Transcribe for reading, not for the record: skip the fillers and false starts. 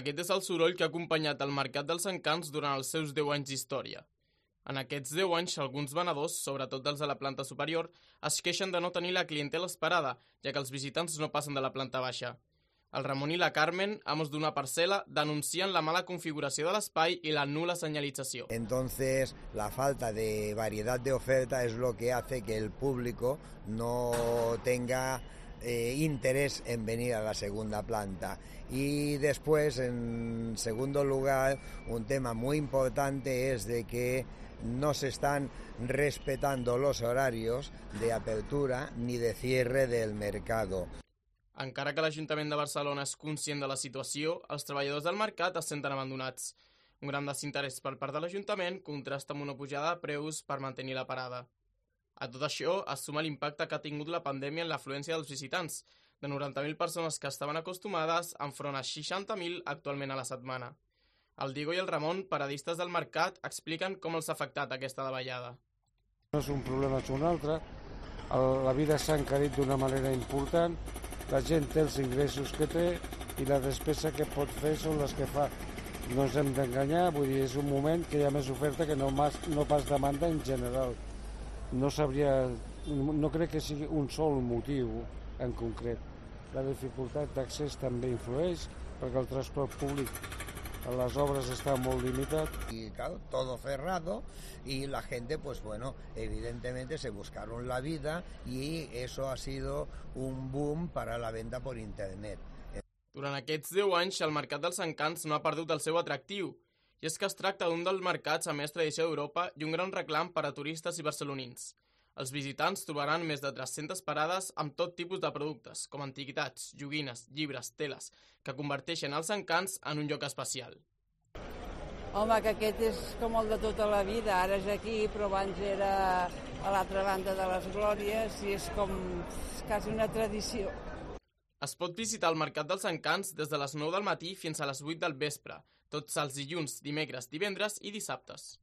Aquest és el soroll que ha acompanyat el Mercat dels Encants durant els seus 10 anys d'història. En aquests 10 anys, alguns venedors, sobretot dels de la planta superior, es queixen de no tenir la clientela esperada, ja que els visitants no passen de la planta baixa. El Ramon i la Carmen, amos d'una parcel·la, denuncien la mala configuració de l'espai i la nula señalització. Entonces, la falta de variedad de oferta es lo que hace que el público no tenga interés en venir a la segunda planta. Y después, en segundo lugar, un tema muy importante es de que no se están respetando los horarios de apertura ni de cierre del mercado. Encara que l'Ajuntament de Barcelona és conscient de la situació, els treballadors del mercat es senten abandonats. Un gran desinterès per part de l'Ajuntament contrasta amb una pujada de preus per mantenir la parada. A tot això es suma l'impacte que ha tingut la pandèmia en l'afluència dels visitants, de 90.000 persones que estaven acostumades enfront a 60.000 actualment a la setmana. El Diego i el Ramon, paradistes del mercat, expliquen com els ha afectat aquesta davallada. No és un problema, és un altre. La vida s'ha encarit d'una manera important. La gent té els ingressos que té i la despesa que pot fer són les que fa. No ens hem d'enganyar, vull dir, és un moment que hi ha més oferta que no pas demanda en general. No crec que sigui un sol motiu en concret. La dificultat d'accés també influeix perquè el transport públic a las obras está muy limitado. Y claro, todo cerrado y la gente, pues bueno, evidentemente se buscaron la vida y eso ha sido un boom para la venta por internet. Durant aquests 10 anys, el Mercat dels Encants no ha perdut el seu atractiu, i és que es tracta d'un dels mercats amb més tradició d'Europa i un gran reclam per a turistes i barcelonins. Els visitants trobaran més de 300 parades amb tot tipus de productes, com antiguitats, joguines, llibres, teles, que converteixen els Encants en un lloc especial. Home, que aquest és com el de tota la vida, ara és aquí, però abans era a l'altra banda de les Glòries i és com quasi una tradició. Es pot visitar el Mercat dels Encants des de les 9 del matí fins a les 8 del vespre, tots els dilluns, dimecres, divendres i dissabtes.